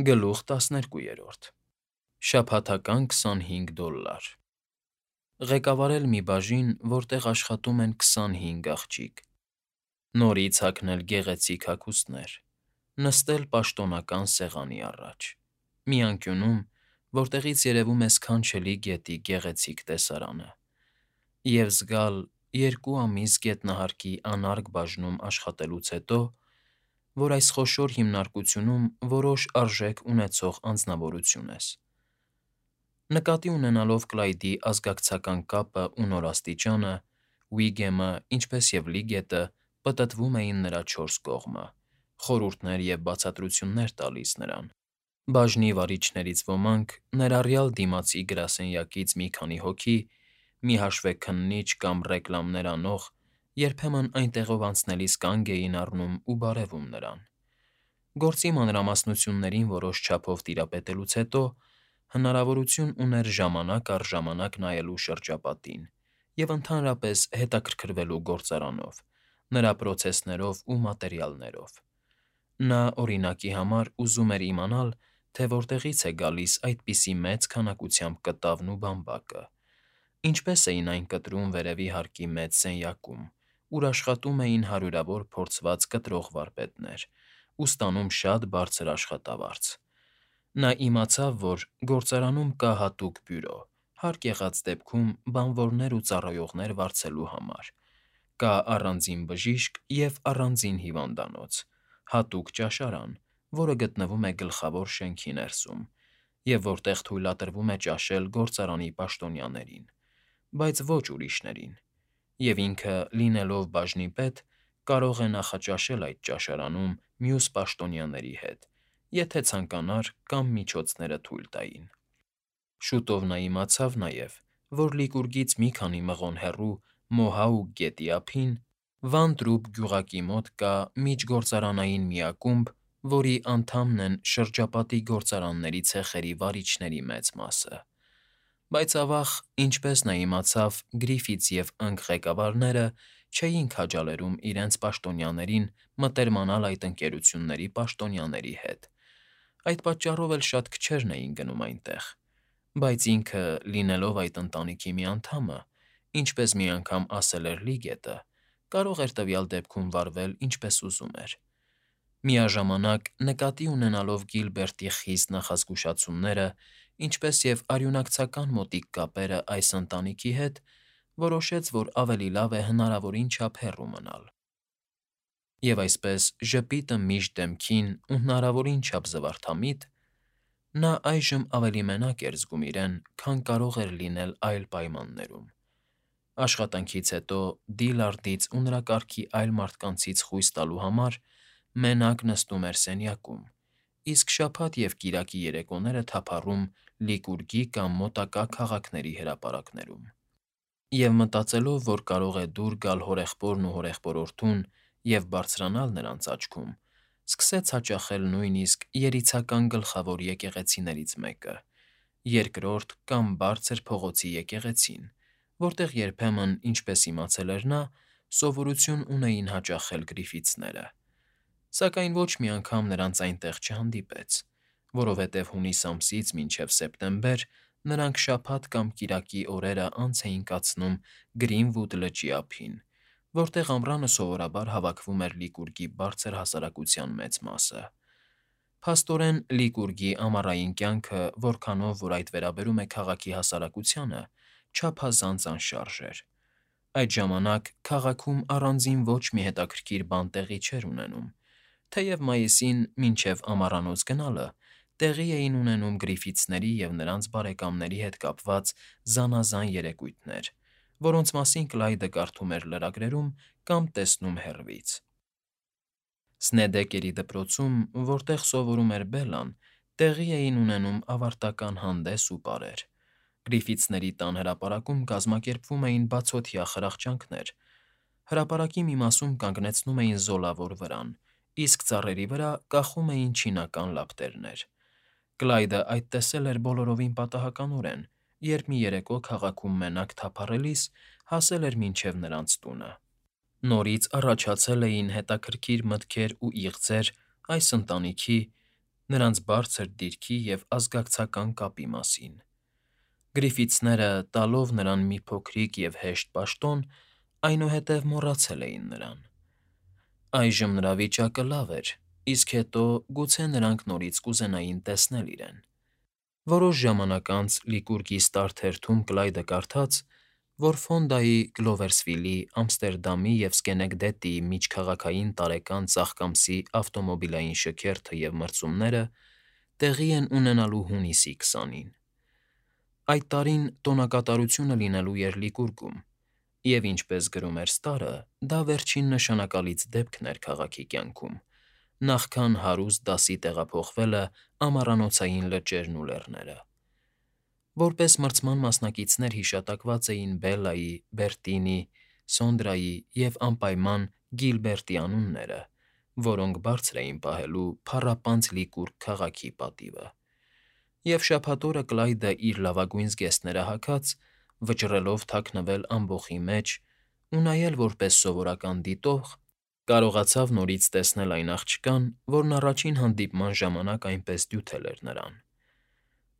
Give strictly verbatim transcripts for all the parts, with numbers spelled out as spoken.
Գլուխ տասներկուերորդ Շաբաթական քսանհինգ դոլար Ղեկավարել մի բաժին, որտեղ աշխատում են քսանհինգ աղջիկ, նորից հագնել գեղեցիկ հագուստներ, նստել պաշտոնական սեղանի առաջ, մի անկյունում, որտեղից երևում է սքանչելի գետի գեղեցիկ տեսարանը, և զգալ երկու ամիս գետնահարկի անարգ բաժնում աշխատելուց հետո, որ այս խոշոր հիմնարկությունում որոշ արժեք ունեցող անձնավորություն ես։ Նկատի ունենալով Կլայդի ազգակցական կապն ու նորաստիճանը, Ուիգեմը, ինչպես և Լիգետը պտտվում էին նրա չորս կողմը, խորհուրդներ և բացատրություններ տալիս նրան։ Բաժնի վարիչներից ոմանք, ներառյալ դիմացի գրասենյակից մի քանի հոգի, մի հաշվեկննիչ կամ ռեկլամներ անող, երբեմն այնտեղով անցնելիս կանգ էին առնում ու բարևում նրան։ Գործի մանրամասնություններին որոշ չափով տիրապետելուց հետո հնարավորություն ուներ ժամանակ առ ժամանակ նայելու շրջապատին և ընդհանրապես հետաքրքրվելու գործարանով, նրա պրոցեսներով ու մատերիալներով։ Նա, օրինակի համար, ուզում էր իմանալ, թե որտեղից է գալիս այդպիսի մեծ քանակությամբ կտավն ու բամբակը, ինչպես էին այն կտրում վերևի հարկի մեծ սենյակում, ուր աշխատում էին հարյուրավոր փորձված կտրող վարպետներ ու ստանում շատ բարձր աշխատավարձ։ Նա իմացավ, որ գործարանում կա հատուկ բյուրո, հարկ եղած դեպքում բանվորներ ու ծառայողներ վարձելու համար, կա առանձին բժիշկ և առանձին հիվանդանոց, հատուկ ճաշարան, որը գտնվում է գլխավոր շենքի ներսում, և որտեղ թույլատրվում է ճաշել գործարանի պաշտոնյաներին, բայց ոչ ուրիշներին, և ինքը, լինելով բաժնի պետ, կարող է նախաճաշել այդ ճաշարանում մյուս պաշտոնյաների հետ, եթե ցանկանար կամ միջոցները թույլ տային։ Շուտով նա իմացավ նաև, որ Լիկուրգից մի քանի մղոն հեռու Մոհաուկ գետի ափին, Վան Տրուբ գյուղակի մոտ կա միջգործարանային մի ակումբ, որի անդամն են շրջապատի գործարանների ցեխերի վարիչների մեծ մասը։ Բայց ավաղ, ինչպես նա իմացավ, Գրիֆիթս և Ընկ ղեկավարները չէին քաջալերում իրենց պաշտոնյաներին մտերմանալ այդ ընկերությունների պաշտոնյաների հետ, այդ պատճառով էլ շատ քչերն էին գնում այնտեղ, բայց ինքը, լինելով այդ ընտանիքի մի անդամը, ինչպես մի անգամ ասել էր Լիգետը, կարող էր տվյալ դեպքում վարվել ինչպես ուզում էր։ Միաժամանակ, նկատի ունենալով Գիլբերտի խիստ նախազգուշացումները, ինչպես և արյունակցական մոտիկ կապերը այս ընտանիքի հետ, որոշեց, որ ավելի լավ է հնարավորին չափ հեռու մնալ։ Եվ այսպես, ժպիտը միշտ դեմքին ու հնարավորին չափ զվարթամիտ, նա այժմ ավելի մենակ էր զգում իրեն, քան կարող էր լինել այլ պայմաններում։ Աշխատանքից հետո, Դիլարդից ու նրա կարգի այլ մարդկանցից խույս տալու համար մենակ նստում էր սենյակում, իսկ շաբաթ և կիրակի երեկոները թափառում Լիկուրգի կամ մոտակա քաղաքների հրապարակներում։ Եվ մտածելով, որ կարող է դուր գալ հորեղբորն ու հորեղբորորդուն և բարձրանալ նրանց աչքում, սկսեց հաճախել նույնիսկ երիցական գլխավոր եկեղեցիներից մեկը, Երկրորդ կամ Բարձր փողոցի եկեղեցին, որտեղ երբեմն, ինչպես իմացել էր նա, սովորություն ունեին հաճախել Գրիֆիթսները, սակայն ոչ մի անգամ նրանց այնտեղ չհանդիպեց, որովհետև հունիս ամսից մինչև սեպտեմբեր նրանք շաբաթ կամ կիրակի օրերը անց էին կացնում Գրինվուդ լճի ափին, որտեղ ամռանը սովորաբար հավաքվում էր Լիկուրգի բարձր հասարակության մեծ մասը։ Փաստորեն, Լիկուրգի ամառային կյանքը, որքանով որ այդ վերաբերում է քաղաքի հասարակությանը, չափազանց անշարժ էր։ Այդ ժամանակ քաղաքում առանձին ոչ մի հետաքրքիր բան տեղի չէր ունենում, թեև մայիսին, մինչև ամառանոց գնալը, տեղի էին ունենում Գրիֆիթսների և նրանց բարեկամների հետ կապված զանազան երեկույթներ, որոնց մասին Կլայդը կարդում էր լրագրերում կամ տեսնում հեռվից։ Սնեդեկերի դպրոցում, որտեղ սովորում էր Բելլան, տեղի էին ունենում ավարտական հանդես ու պարեր։ Գրիֆիթսների տան հրապարակում կազմակերպվում էին բացօթյա խրախճանքներ, հրապարակի մի մասում կանգնեցնում էին զոլավոր վրան, իսկ ծառերի վրա կախում էին չինական լապտերներ։ Կլայդը այդ տեսել էր բոլորովին պատահականորեն, երբ մի երեկո քաղաքում մենակ թափառելիս հասել էր մինչև նրանց տունը։ Նորից առաջացել էին հետաքրքիր մտքեր ու իղձեր այս ընտանիքի, նրանց բարձր դիրքի և ազգակցական կապի մասին։ Գրիֆիթսները, տալով նրան մի փոքրիկ և հեշտ պաշտոն, այնուհետև մոռացել էին նրան։ Այժմ նրա վիճակը լավ էր, իսկ հետո գուցե նրանք նորից կուզենային տեսնել իրեն։ Որոշ ժամանակ անց Լիկուրգի ստարթերթում Կլայդը կարդաց, որ Ֆոնդայի, Գլովերսվիլի, Ամստերդամի և Սքենեկդետի միջքաղաքային տարեկան ծաղկամսի ավտոմոբիլային շքերթը և մրցումները տեղի են ունենալու հունիսի քսանին։ Այդ տարին տոնակատարությունը լինելու էր Լիկուրգում, և, ինչպես գրում էր Ստարը, դա վերջին նշանակալից դեպքն էր քաղաքի կյանքում, նախքան հարուստ դասի տեղափոխվելը ամառանոցային լճերն ու լեռները։ Որպես մրցման մասնակիցներ հիշատակված էին Բելլայի, Բերտինի, Սոնդրայի և անպայման Գիլբերտի անունները, որոնք բարձր էին պահելու փառապանծ Լիկուրգ քաղաքի պատիվը։ Եվ շաբաթ օրը Կլայդը, իր լավագույն զգեստները հագած, վճռելով թաքնվել ամբոխի մեջ ու նայել որպես սովորական դիտող, կարողացավ նորից տեսնել այն աղջկան, որն առաջին հանդիպման ժամանակ այնպես դյութել էր նրան։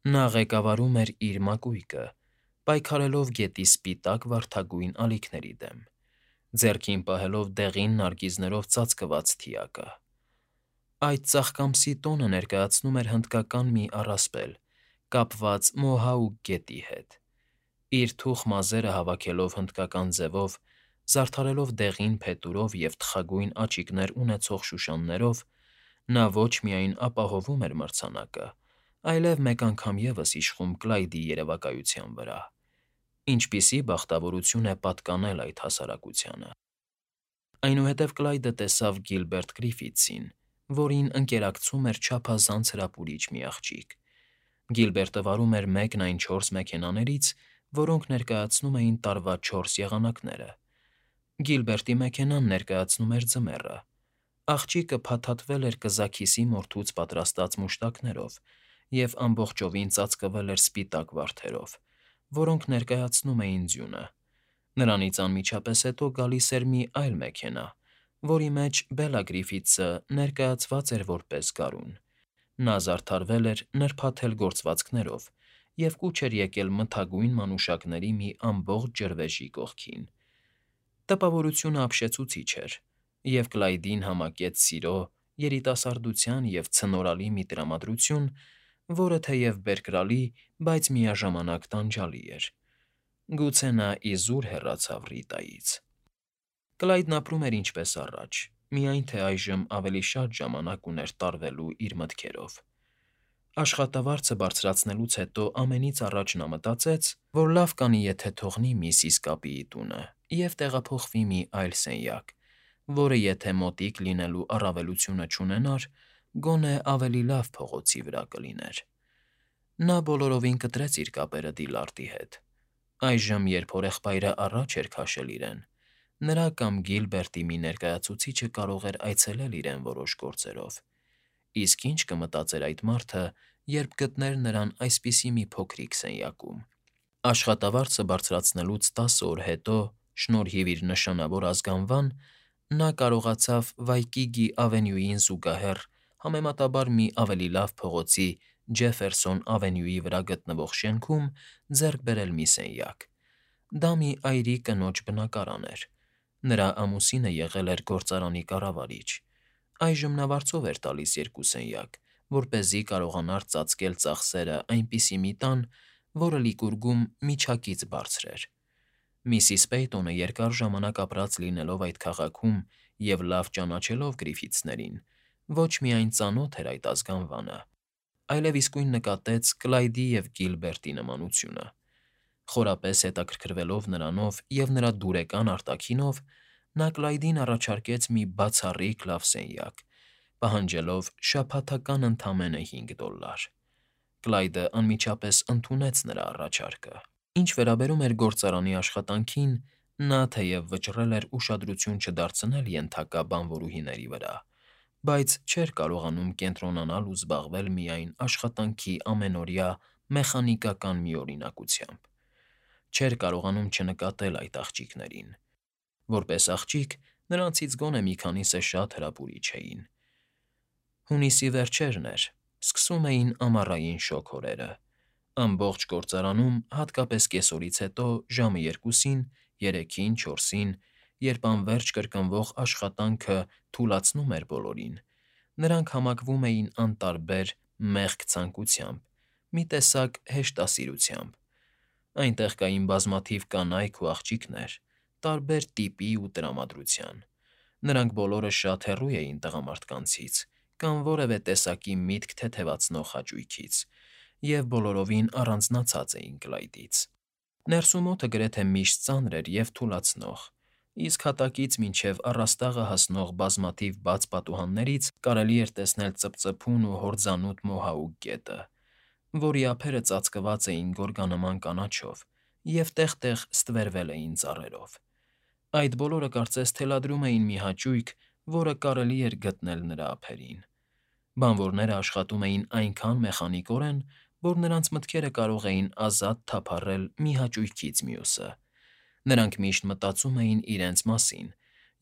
Նա ղեկավարում էր իր մակույկը՝ պայքարելով գետի սպիտակ վարդագույն ալիքների դեմ, ձեռքին պահելով դեղին նարգիզներով ծածկված թիակը։ Այդ ծաղկամսի տոնը ներկայացնում էր հնդկական մի առասպել՝ կապված Մոհաուկ գետի հետ։ Իր թուխ մազերը հավաքելով հնդկական ձևով, զարդարելով դեղին փետուրով և թխագույն աչիկներ ունեցող շուշաններով, նա ոչ միայն ապահովում էր մրցանակը, այլև մեկ անգամ ևս իշխում Կլայդի երևակայության վրա։ Ինչպիսի բախտավորություն է պատկանել այդ հասարակությանը։ Այնուհետև Կլայդը տեսավ Գիլբերտ Գրիֆիթսին, որին ընկերակցում էր չափազանց հրապուրիչ մի աղջիկ։ Գիլբերտը վարում էր մեկն այն չորս մեքենաներից, որոնք ներկայացնում էին տարվա չորս եղանակները։ Գիլբերտի մեքենան ներկայացնում էր ձմեռը։ Աղջիկը փաթաթվել էր կզաքիսի մորթուց պատրաստած մուշտակներով և ամբողջովին ծածկվել էր սպիտակ վարդերով, որոնք ներկայացնում էին ձյունը։ Նրանից անմիջապես հետո գալիս էր մի այլ մեքենա, որի մեջ Բելլա Գրիֆիթսը ներկայացված էր որպես գարուն։ Նա զարդարվել էր նրբաթել գործվածքներով և կուչ էր եկել մթագույն մանուշակների մի ամբողջ ջրվեժի կողքին։ Տպավորությունը ապշեցուցիչ էր, և Կլայդին համակեց սիրո, երիտասարդության և ցնորալի մի տրամադրություն, որը թեև բերկրալի, բայց միաժամանակ տանջալի էր։ Գուցե նա իզուր հեռացավ Ռիտայից։ Կլայդն ապրում էր ինչպես առաջ, միայն թե այժմ ավելի շատ ժամանակ ուներ տարվելու իր մտքերով։ Աշխատավարձը բարձրացնելուց հետո ամենից առաջ նա մտածեց, որ լավ կանի, եթե թողնի միսիս Կապիի տունը և տեղափոխվի մի այլ սենյակ, որը եթե մոտիկ լինելու առավելությունը չունենար, գոնե ավելի լավ փողոցի վրա կլիներ։ Նա բոլորովին կտրեց իր կապերը Դիլարտի հետ։ Այժմ, երբ հորեղբայրը առաջ էր քաշել իրեն, նրա կամ Գիլբերտի մի ներկայացուցիչը կարող էր այցելել իրեն որոշ գործերով։ Իսկ ի՞նչ կմտածեր այդ մարդը, երբ գտներ նրան այսպիսի մի փոքրիկ սենյակում։ Աշխատավարձը բարձրացնելուց տասը օր հետո, շնորհիվ իր նշանավոր ազգանվան, նա կարողացավ Վայկիգի Ավենյուին զուգահեռ համեմատաբար մի ավելի լավ փողոցի Ջեֆերսոն Ավենյուի վրա գտնվող շենքում ձեռք բերել մի սենյակ։ Դա մի այրի կնոջ բնակարան էր։ Նրա ամուսինը եղել էր գործարանի կառավարիչ։ Այժմ նա վարձով էր տալիս երկու սենյակ, որպեսզի կարողանար ծածկել ծախսերը այնպիսի մի տան, որը Լիկուրգում միջակից բարձր էր։ Միսիս Պեյտոնը երկար ժամանակ ապրած լինելով այդ քաղաքում և լավ ճանաչելով Գրիֆիթսներին, ոչ միայն ծանոթ էր այդ ազգանվանը, այլև իսկույն նկատեց Կլայդի և Գիլբերտի նմանությունը։ Խորապես հետաքրքրվելով նրանով և նրա դուրեկան արտաքինով, նա Կլայդին առաջարկեց մի բացառիկ լավ սենյակ, պահանջելով շաբաթական ընդամենը հինգ դոլար։ Կլայդը անմիջապես ընդունեց նրա առաջարկը։ Ինչ վերաբերում էր գործարանի աշխատանքին, նա թեև վճռել էր ուշադրություն չդարձնել ենթակա բանվորուհիների վրա, բայց չէր կարողանում կենտրոնանալ ու զբաղվել միայն աշխատանքի ամենօրյա մեխանիկական միօրինակությամբ։ Չէր կարողանում չնկատել այդ աղջիկներին։ Որպես աղջիկ, նրանցից գոնե մի քանիսը շատ հրապուրիչ էին։ Հունիսի վերջերն էր, սկսում էին ամառային շոգ օրերը։ Ամբողջ գործարանում, հատկապես կեսօրից հետո, ժամը երկուսին, երեքին, չորսին, երբ անվերջ կրկնվող աշխատանքը թուլացնում էր բոլորին, նրանք համակվում էին անտարբեր, մեղք ցանկությամբ, մի տեսակ հեշտասիրությամբ։ Այնտեղ կային բազմաթիվ կանայք ու աղջիկներ, տարբեր տիպի ու տրամադրության։ Նրանք բոլորը շատ հեռու էին տղամարդկանցից կամ որևէ տեսակի միտք թեթևացնող հաճույքից և բոլորովին առանձնացած էին Կլայդից։ Ներսում օդը գրեթե միշտ ծանր էր և թուլացնող, իսկ հատակից մինչև առաստաղը հասնող բազմաթիվ բաց պատուհաններից կարելի էր տեսնել ծպծփուն ու հորձանուտ մոհաուկ գետը, որի ափերը ծածկված էին գորգանման կանաչով և տեղ֊տեղ ստվերվել էին ծառերով։ Այդ բոլորը կարծես թելադրում էին մի հաճույք, որը կարելի էր գտնել նրա ափերին։ Բանվորները աշխատում էին այնքան մեխանիկորեն, որ նրանց մտքերը կարող էին ազատ թափառել մի հաճույքից մյուսը։ Նրանք միշտ մտածում էին իրենց մասին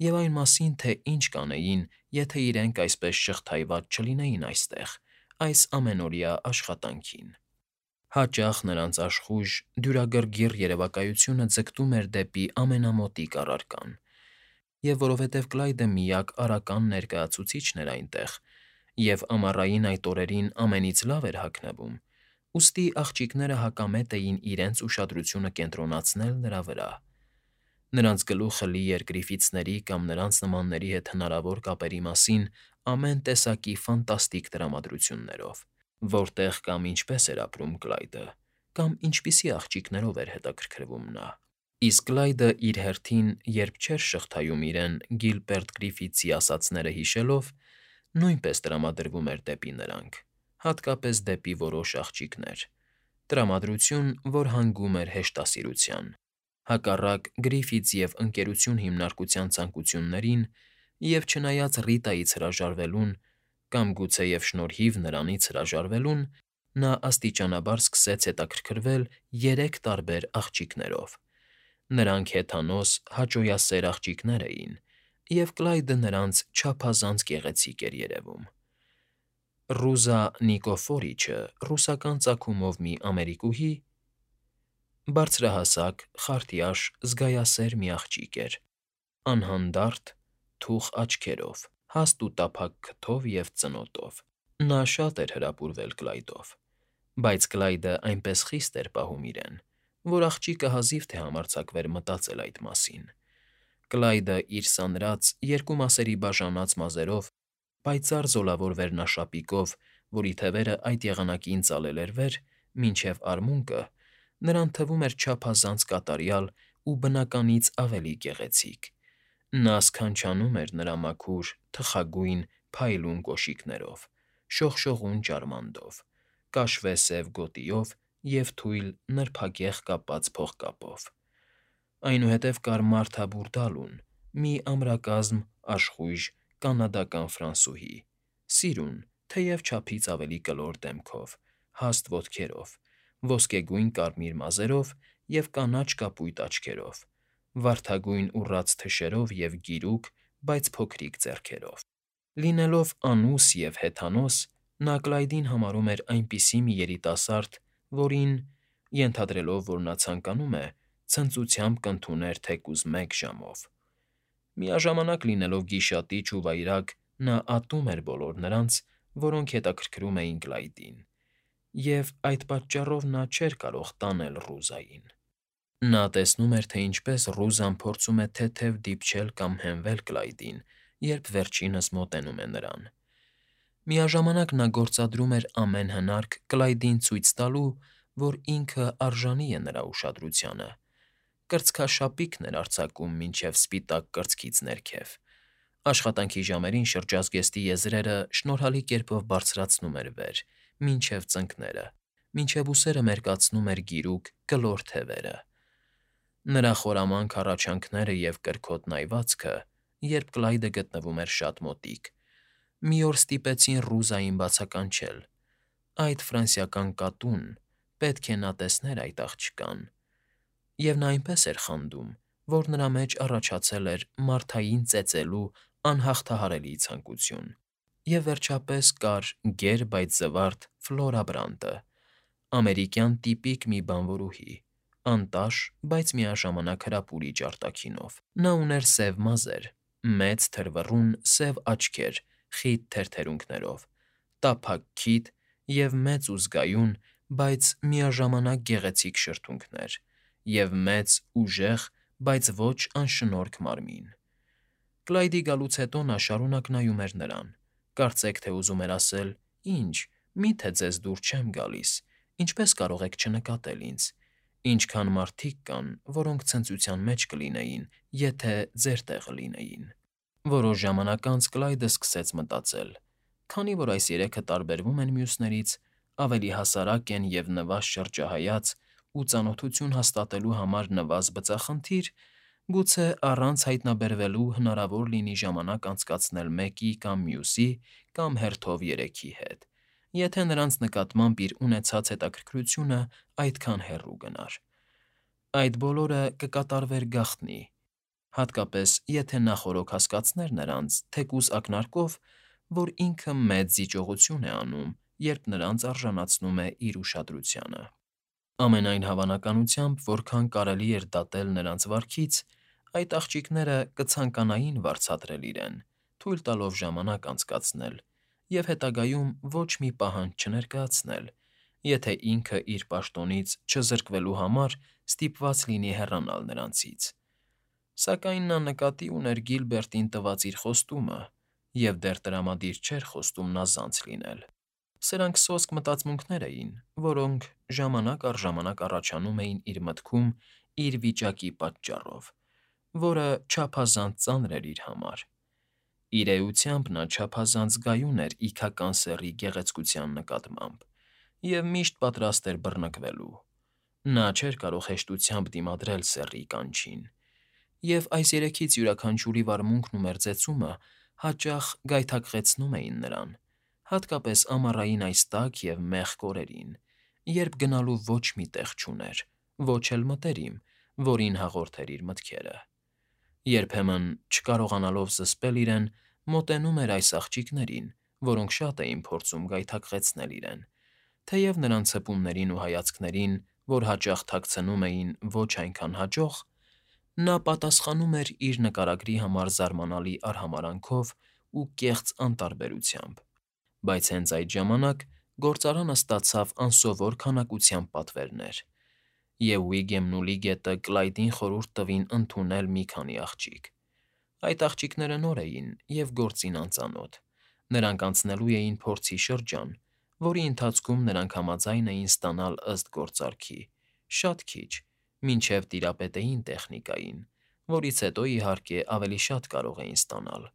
և այն մասին, թե ինչ կանեին, եթե իրենք այսպես շղթայված չլինեին այստեղ, այս ամենօրյա աշխատանքին։ Հաճախ նրանց աշխույժ, դյուրագրգիռ երևակայությունը ձգտում էր դեպի ամենամոտիկ առարկան։ Եվ որովհետև Կլայդը միակ արական ներկայացուցիչն էր այնտեղ, և ամառային այդ օրերին ամենից լավ էր հագնվում, ուստի աղջիկները հակամետ էին իրենց ուշադրությունը կենտրոնացնել նրա վրա։ Նրանց գլուխը լի էր Գրիֆիթսների կամ նրանց նմանների հետ հնարավոր կապերի մասին ամեն տեսակի ֆանտաստիկ տրամադրություններով, որտեղ կամ ինչպես էր ապրում Կլայդը, կամ ինչպիսի աղջիկներով էր հետաքրքրվում նա։ Իսկ Կլայդը իր հերթին, երբ չէր շղթայում իրեն Գիլբերտ Գրիֆիթսի ասածները հիշելով, նույնպես տրամադրվում էր դեպի նրանք, հատկապես դեպի որոշ աղջիկներ, տրամադրություն, որ հանգում էր հեշտասիրության, հակառակ Գրիֆիթս և Ընկերություն հիմնարկության ցանկություններին, և չնայած Ռիտայից հրաժարվելուն կամ գուցեև շնորհիվ նրանից հրաժարվելուն, նա աստիճանաբար սկսեց հետաքրքրվել երեք տարբեր աղջիկներով։ Նրանք հեթանոս, հաճոյասեր աղջիկներ էին, և Կլայդը նրանց չափազանց գեղեցիկ էր երևում։ Ռուզա Նիկոֆորիչը ռուսական ծագումով մի ամերիկուհի, բարձրահասակ, խարտյաշ, զգայասեր մի աղջիկ էր, անհանդարտ, թուխ աչքերով, հաստ ու տափակ քթով և ծնոտով։ Նա շատ էր հրապուրվել Կլայդով, բայց Կլայդը այնպես խիստ էր պահում իրեն, որ աղջիկը հազիվ թե համարձակվեր մտածել այդ մասին։ Կլայդը իր սանրած, երկու մասերի բաժանած մազերով, պայծառ զոլավոր վերնաշապիկով, որի թևերը այդ եղանակին ծալել էր վեր, մինչև արմունկը, նրան թվում էր չափազանց կատարյալ ու բնականից ավելի գեղեցիկ։ Նա սքանչանում էր նրա մաքուր, թխագույն, փայլուն կոշիկներով, շողշողուն ջարմանդով, կաշվե սև գոտիով և թույլ, նրբագեղ կապած փողկապով։ Այնուհետև կար Մարթա Բուրդալուն, մի ամրակազմ, աշխույժ, կանադական ֆրանսուհի, սիրուն, թեև չափից ավելի կլոր դեմքով, հաստ ոտքերով, ոսկեգույն֊կարմիր մազերով և կանաչ կապույտ աչքերով, վարդագույն ուռած թշերով և գիրուկ, բայց փոքրիկ ձեռքերով։ Լինելով անուս և հեթանոս, նա Կլայդին համարում էր այնպիսի մի երիտասարդ, որին, ենթադրելով, որ նա ցանկանում է, ցնծությամբ կընդուներ թեկուզ մեկ ժամով։ Միաժամանակ լինելով գիշատիչ ու վայրագ, նա ատում էր բոլոր նրանց, որոնք հետաքրքրում էին Կլայդին, և այդ պատճառով նա չէր կարող տանել Ռուզային։ Նա տեսնում էր, թե ինչպես Ռուզան փորձում է թեթև դիպչել կամ հենվել Կլայդին, երբ վերջինս մոտենում է նրան։ Միաժամանակ նա գործադրում էր ամեն հնարք Կլայդին ցույց տալու, որ ինքը արժանի է նրա ուշադրությանը, կրծքաշապիկն էր արձակում մինչև սպիտակ կրծքից ներքև։ Աշխատանքի ժամերին շրջազգեստի եզրերը շնորհալի կերպով բարձրացնում էր վեր, մինչև ծնկները, մինչև ուսերը մերկացնում էր գիրուկ, կլոր թևերը։ Նրա խորամանկ հառաչանքները և կրքոտ նայվածքը, երբ Կլայդը գտնվում էր շատ մոտիկ, մի օր ստիպեցին Ռուզային բացականչել. այդ ֆրանսիական կատուն, պետք է նա տեսներ այդ աղջկան։ Եվ նա այնպես էր խանդում, որ նրա մեջ առաջացել էր Մարթային ծեծելու անհաղթահարելի ցանկություն։ Եվ վերջապես կար գեր, բայց զվարթ Ֆլորա Բրանտը, ամերիկյան տիպիկ մի բանվորուհի, անտաշ, բայց միաժամանակ հրապուրիչ արտաքինով։ Նա ուներ սև մազեր, մեծ թրվռուն սև աչքեր խիտ թերթերունքներով, տափակ քիթ և մեծ ու զգայուն, բայց միաժամանակ գեղեցիկ շրթունքներ, և մեծ, ուժեղ, բայց ոչ անշնորհք մարմին։ Կլայդի գալուց հետո նա շարունակ նայում էր նրան, կարծեք թե ուզում էր ասել. «Ի՞նչ, մի՞թե ձեզ դուր չեմ գալիս, ինչպե՞ս կարող եք չնկատել ինձ, ինչքան մարդիկ կան, որոնք ցնծության մեջ կլինեին, եթե ձեր տեղը լինեին»։ Որոշ ժամանակ անց Կլայդը սկսեց մտածել. «Քանի որ այս երեքը տարբերվում են մյուսներից, ավելի հասարակ են և նվազ շրջահայաց ու ծանոթություն հաստատելու համար նվազ բծախնդիր, գուցե առանց հայտնաբերվելու հնարավոր լինի ժամանակ անցկացնել մեկի կամ մյուսի կամ հերթով երեքի հետ, եթե նրանց նկատմամբ իր ունեցած հետաքրքրությունը այդքան հեռու գնար։ Այդ բոլորը կկատարվեր գաղտնի, հատկապես եթե նախօրոք հասկացներ նրանց, թեկուզ ակնարկով, որ ինքը մեծ զիջողություն է անում, երբ նրանց արժանացնում է իր ուշադրությանը։ Ամենայն հավանականությամբ, որքան կարելի էր դատել նրանց վարքից, այդ աղջիկները կցանկանային վարձատրել իրեն, թույլ տալով ժամանակ անցկացնել և հետագայում ոչ մի պահանջ չներկայացնել, եթե ինքը իր պաշտոնից չզրկվելու համար ստիպված լինի հեռանալ նրանցից։ Սակայն նա նկատի ուներ Գիլբերտին տված իր խոստումը և դեռ տրամադիր չէր խոստումն ազանց լինել։ Սրանք սոսկ մտածմունքներ էին, որոնք ժամանակ առ ժամանակ առաջանում էին իր մտքում իր վիճակի պատճառով, որը չափազանց ծանր էր իր համար։ Իր էությամբ նա չափազանց գայուն էր իգական սեռի գեղեցկության նկատմամբ և միշտ պատրաստ էր բռնկվելու։ Նա չէր կարող հեշտությամբ դիմադրել սեռի կանչին, և այս երեքից յուրաքանչյուրի վարմունքն ու մերձեցումը հաճախ գայթակղեցնում էին նրան, հատկապես ամառային այս տաք և մեղք օրերին, երբ գնալու ոչ մի տեղ չուներ, ոչ էլ մտերիմ, որին հաղորդեր իր մտքերը։ Երբեմն, չկարողանալով զսպել իրեն, մոտենում էր այս աղջիկներին, որոնք շատ էին փորձում գայթակղեցնել իրեն, թեև նրանց հպումներին ու հայացքներին, որ հաճախ թաքցնում էին ոչ այնքան հաջող, նա պատասխանում էր իր նկարագրի համար զարմանալի արհամարհանքով ու կեղծ անտարբերությամբ։ Բայց հենց այդ ժամանակ գործարանը ստացավ անսովոր քանակությամբ պատվերներ, և Վիգեմն ու Լիգետը Կլայդին խորհուրդ տվին ընդունել մի քանի աղջիկ։ Այդ աղջիկները նոր էին և գործին անծանոթ, նրանք անցնելու էին փորձի շրջան, որի ընթացքում նրանք համաձայն էին ստանալ ըստ գործարքի, շատ քիչ, մինչև տիրապետեին տեխնիկային, որից հետո, իհարկե, ավելի շատ կարող էին ստանալ։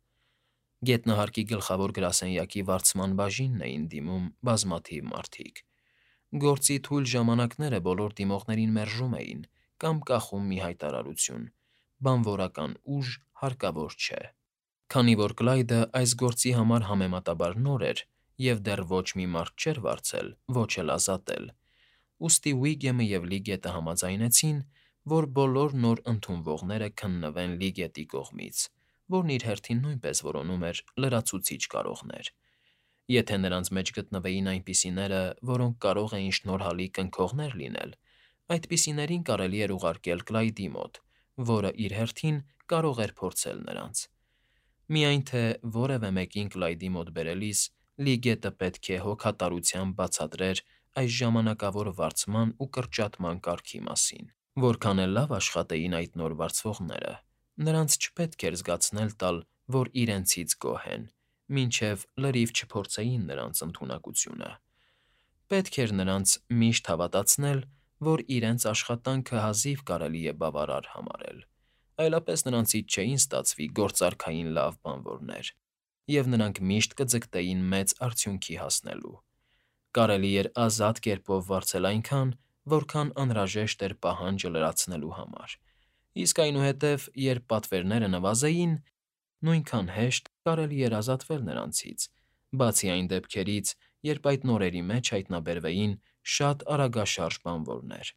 Գետնահարկի գլխավոր գրասենյակի վարձման բաժինն էին դիմում բազմաթիվ մարդիկ։ Գործի թույլ ժամանակները բոլոր դիմողներին մերժում էին կամ կախում մի հայտարարություն. «Բանվորական ուժ հարկավոր չէ»։ Քանի որ Կլայդը այս գործի համար համեմատաբար նոր էր և դեռ ոչ մի մարդ չէր վարձել, ոչ էլ ազատել, ուստի Վիգեմը և Լիգետը համաձայնեցին, որ բոլոր նոր ընդունվողները քննվեն Լիգետի կողմից, որն իր հերթին նույնպես որոնում էր լրացուցիչ կարողներ։ Եթե նրանց մեջ գտնվեին այնպիսիները, որոնք կարող էին շնորհալի կնքողներ լինել, այդպիսիներին կարելի էր ուղարկել Կլայդի մոտ, որը իր հերթին կարող էր փորձել նրանց։ Միայն թե որևէ մեկին Կլայդի մոտ բերելիս Լիգետը պետք է հոգատարությամբ բացատրեր այս ժամանակավոր վարձման ու կրճատման կարգի մասին։ Որքան էլ լավ աշխատեին այդ նոր վարձվողները, նրանց չպետք էր զգացնել տալ, որ իրենցից գոհ են, մինչև լրիվ չփորձեին նրանց ընդունակությունը։ Պետք էր նրանց միշտ հավատացնել, որ իրենց աշխատանքը հազիվ կարելի է բավարար համարել, այլապես նրանցից չէին ստացվի գործարքային լավ բանվորներ, և նրանք միշտ կձգտեին մեծ արդյունքի հասնելու։ Կարելի էր ազատ կերպով վարձել այնքան, որքան անհրաժեշտ էր պահանջը լրացնելու համար, իսկ այնուհետև, երբ պատվերները նվազեին, նույնքան հեշտ կարելի էր ազատվել նրանցից, բացի այն դեպքերից, երբ այդ նորերի մեջ հայտնաբերվեին շատ արագաշարժ բանվորներ։